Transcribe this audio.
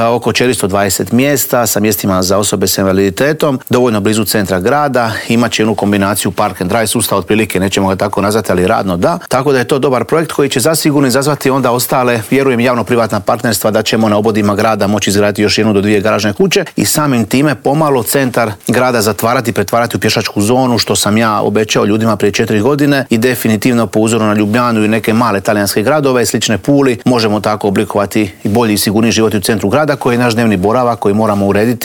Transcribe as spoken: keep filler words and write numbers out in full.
oko četiristo dvadeset mjesta sa mjestima za osobe s invaliditetom, dovoljno blizu centra grada, imat će jednu kombinaciju park and drive sustav, otprilike nećemo ga tako nazvati, ali radno da. Tako da je to dobar projekt koji će zasigurno izazvati onda ostale, vjerujem, javno-privatna partnerstva da ćemo na obodima grada moći izgraditi još jednu do dvije garažne kuće i samim time pomalo centar grada zatvarati, pretvarati u pješačku zonu, što sam ja obećao ljudima prije četiri godine i definitivno po uzoru na Ljubljanu i neke male talijanske gradove, slične Puli, možemo tako oblikovati i bolji i sigurniji život u centru grada koji je naš dnevni boravak koji moramo urediti